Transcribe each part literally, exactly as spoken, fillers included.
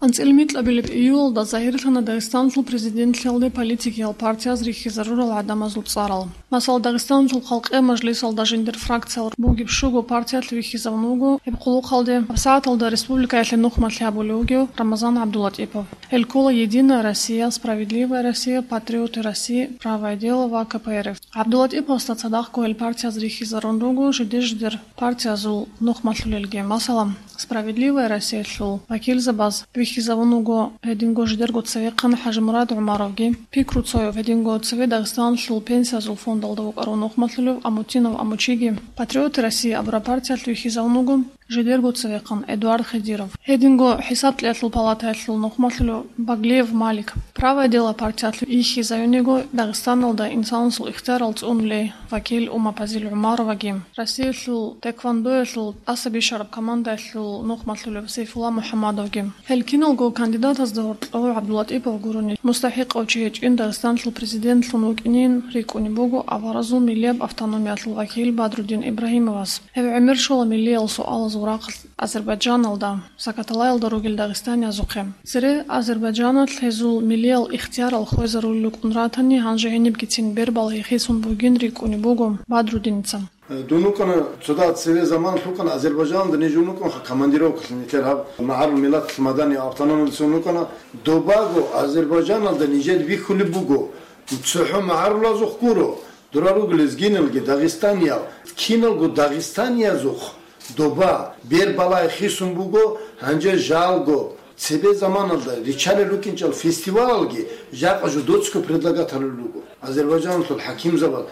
АнцӀила микьабилеб июлалда загьирлъана Дагъистанлъул президентлъиялде политикиял партияз рихьизарурал гӀадамазул цӀарал. Масала, Дагъистанлъул Халкъи мажлисалда жиндир фракциял бугеб щуго партиялъ вихьизавун вуго гьеб хъулухъалде гьабсагӀаталда республикаялъе нухмалъи гьабулев вугев Рамазан ГӀабдулатӀипов. Гьел ккола «Единая Россия», «Справедливая Россия», «Патриоты России», «Правое дело» ва К П Р Ф. ГӀабдулатӀиповасда цадахъго гьел партияз рихьизарун руго жиде-жидер партиязул нухмалъулелги. Масала, «Справедливая Россиялъул» вакилзабаз вихьизавун вуго гьединго жидерго цевехъан ХӀажимурад ГӀумаровги, Пикру Цоев, гьединго цеве Дагъистанлъул пенсиязул фондалда вукӀарав нухмалъулев Амутинов Амучиги, «Патриоты России» абураб партиялъ вихьизавун вуго жидерго цевехъан Эдуард Хидиров. Гьединго ХӀисаблъиялъул палатаялъул нухмалъулев Баглиев Малик. «Правое дело» партиялъ вихьизавиниго Дагъистаналда инсанасул ихтиярал цӀунулей вакил Умапазил ГӀумароваги, Россиялъул теквандоялъул тӀаса бищараб командаялъул нухмалъулев Сейфулла МухӀаммадовги. Гьел киналго кандидатазда гьоркьов ГӀабдулатӀипов гурони мустахӀикъав чи гьечӀин Дагъистанлъул президентлъун вукӀинин рикӀкӀунеб буго аваразул миллияб автономиялъул вакил Бадрудин Ибрагьимовас. Гьев гӀемер щола миллиял суалазул рахъалъ Азербайджаналда, Сакаталаялда ругел дагъистаниязухъе. Цере Азербайджаналъ гьезул миллиял ихтиярал хвезарулел рукӀун ратани, гьанже гьенибгицин бербал гьехисун бугин рикӀкӀунеб буго Бадрудиница. Дун вукӀана, цода цеве заманалъ вукӀана Азербайджаналда, ниж вукӀанха командировкалъе, нилъер гьаб магӀарул миллаталъ маданияб автономиялъун вукӀана. Добаго Азербайджаналда нижер бихьулеб буго, цохӀо магӀарулазухъ гуро, дора руго лезгиналги дагъистаниял, киналго дагъистаниязухъ доба, бербалай хисун буго, гьанже жалго, цебе заманалда риччалел рукӀинчӀел фестивалалги жакъа жо доцго предлагаталел руго. Азербайджаналъул хӀакимзабаз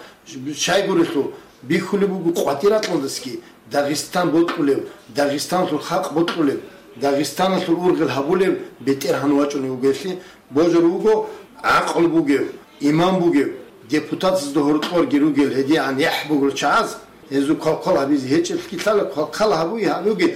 щайгурелъул бихьулеб буго къватӀир ракьалдасги Дагъистан бокьулев, Дагъистанлъул халкъ бокьулев, Дагъистаналъул ургъел гьабулев бетӀергьан вачӀунев вугевлъи, божар вуго гӀакълу бугев, иман бугев, депутатазда гьоркьорги ругел гьедигӀан яхӀ бугел чагӀаз, гьезул квалквал гьабизе гьечӀеблъги лъала, квалквал гьабуги гьабуги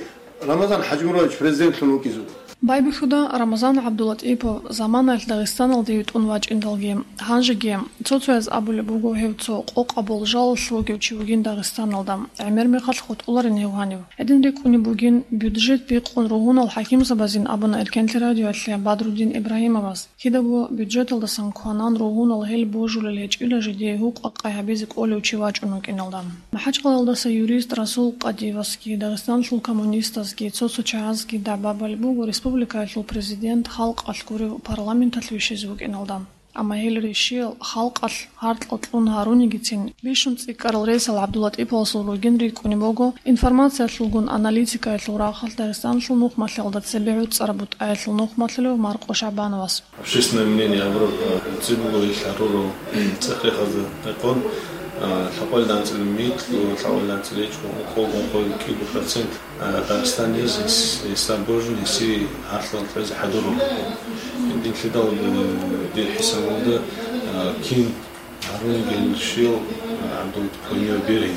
Рамазан ХӀажимурадович президентлъун вукӀизе вуго. Байбихьуда Рамазан ГӀабдулатӀипов заманаялъ Дагъистаналде витӀун вачӀиндалги, гьанжеги цо-цояз абулеб буго гьев цо къокъаб болжалалъ вугев чи вугин Дагъистаналда, гӀемер мехалъ хутӀуларин гьев гьанив. Гьедин рикӀкӀунеб бугин, бюджет бикъун ругьунал хӀакимзабазин абуна Эркенлъи радиоялъе Бадрудин Ибрагьимовас. Кидаго бюджеталдасан кванан ругьунал гьел божулел гьечӀила жидее гьукъа-къай гьабизе кӀолев чи вачӀун вукӀиналда. МахӀачкъалаялдаса юрист Расул Къадиевасги, Дагъистанлъул коммунистазги, цо-цо чагӀазги дагӀба балеб буго республикаялъул президент халкъалъ гурев парламенталъ вищизе вукӀиналда. Амма гьел рищиял халкъалъ гьаркьал кьун гьарунигицин, бищун цӀикӀкӀарал рейсал ГӀабдулатӀиповасул ругин рикӀкӀунеб буго, информациялъулгун аналитикаялъул рахъалъ Дагъистанлъул нухмалъиялда цебе гӀуцӀараб бутӀаялъул нухмалъулев Маркъо ШагӀбановас. Общественное мнение абураб, а, цебе буго ил гьарурал цӀехехазда рекъон, а, лъабкъоялда анцӀила микьго, лъабкъоялда анцӀила гьечӀго, ункъо-ункъоялда кӀиго процент, а, Дагъистаниз ис-, ислам божун, иси гьарфлъун кьезе хӀадурун. Динлъидал, э, дир хӀисабалда, а, кин гьарун гел щел, а, ГӀабдул Кумер берин.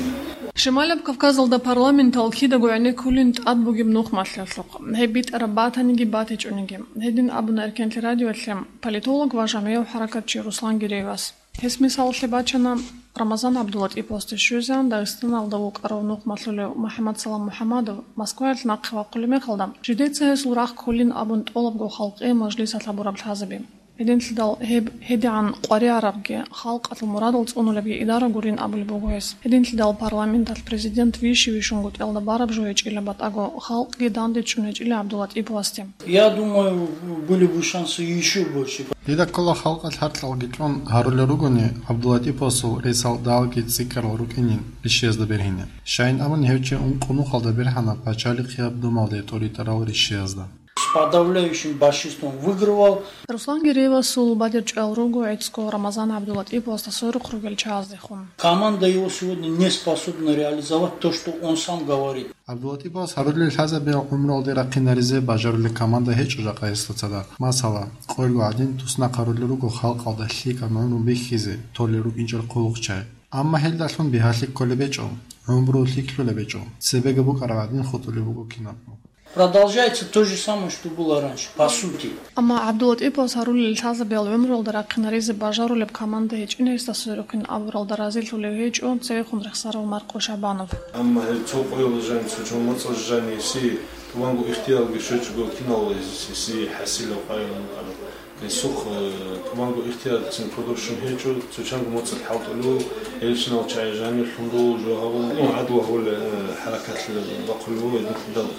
Шималаб Кавказалда парламентал кидаго гӀенеккулин тӀад бугеб нухмалъиялъухъ, гьеб битӀараб батаниги батичӀониги. Гьедин абуна Эркенлъи радиоялъе политолог ва жамигӀав хӀаракатчи Руслан Гиреевас. Гьес мисалалъе бачана Рамазан ГӀабдулатӀиповасде щвезегӀан Дагъистаналда вукӀарав нухмалъулев МухӀаммадсалам МухӀаммадов Москваялъ нахъе вахъулеб мехалда, жидеца гьесул рахъ кколин абун тӀолабго халкъи мажлисалъ гьабураб лъазаби. Гьединлъидал гьеб гьедигӀан къваригӀарабги халкъалъул мурадал цӀунулебги идара гурин абулеб буго гьес. Гьединлъидал парламенталъ президент вищи-вищунгутӀиялда бараб жо гьечӀила батӀаго халкъги дандечӀун гьечӀила ГӀабдулатӀиповасде. Я думаю, были бы шансы ещё больше. Дида ккола халкъалъ гьаркьалги кьун гьарулел ругони, ГӀабдулатӀиповасул рейсал далги цӀикӀкӀарал рукӀинин рищиязда бергьине. Щайин абуни гьев чи ункъо нухалда бергьана пачалихъияб думалде тӀоритӀарал рищиязда. С подавляющим большинством выигрывал. Руслан Гиреевасул бадиб чӀвал руго гӀицӀго Рамазан ГӀабдулатӀиповасда сверухъ ругел чагӀаздехун. Команда его сегодня не способна реализовать то, что он сам говорит. ГӀабдулатӀиповас гьарулел лъазабиял гӀумруялде рахъинаризе бажарулел команда гьечӀо жакъа гьесда цадахъ. Масала, къоялъго гӀадин туснахъ гьарулел руго халкъалда лъикӀаб гӀумру бихьизе толел рукӀинчӀел хъулухъчагӀи. Амма гьелдалъун бигьалъи кколеб гьечӀо, гӀумру лъикӀлъулеб гьечӀо, цебеги букӀараб гӀадин хутӀулеб буго кинабго. Продолжается то же самое, что было раньше, по сути. Амма ГӀабдулатӀиповас гьарулел лъазабиял гӀумруялда рахъинаризе бажарулеб команда гьечӀин гьесда сверухъин абуралда разилъулев гьечӀо цевехун рехсарав Маркъо ШагӀбанов. Амма гьеб цо къоялъ жаниб, цо чон моцӀалъ жаниб, гьесие ТӀубанго ихтиярги щвечӀого кинал гьесие хӀасилав къайгъун вукӀарав. Гьесухъ, э, тӀубанго ихтиярцин кодоб щун гьечӀо, цо чанго моцӀалъ хӀалтӀулев, гьелчинал чагӀи жанирлъун руго, жо гьабун, гӀадлу гьабулеб, э, хӀаракатлъи бахъулев вуго гьединлъидал.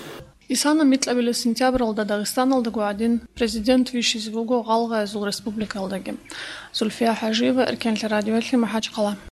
Исана микьабилеб сентябралда Дагъистаналдаго гӀадин президент вищизе вуго гъалгъайзул республикаялдаги. Зульфия ХӀажиева, Эркенлъи радиоялъе, МахӀачхъала.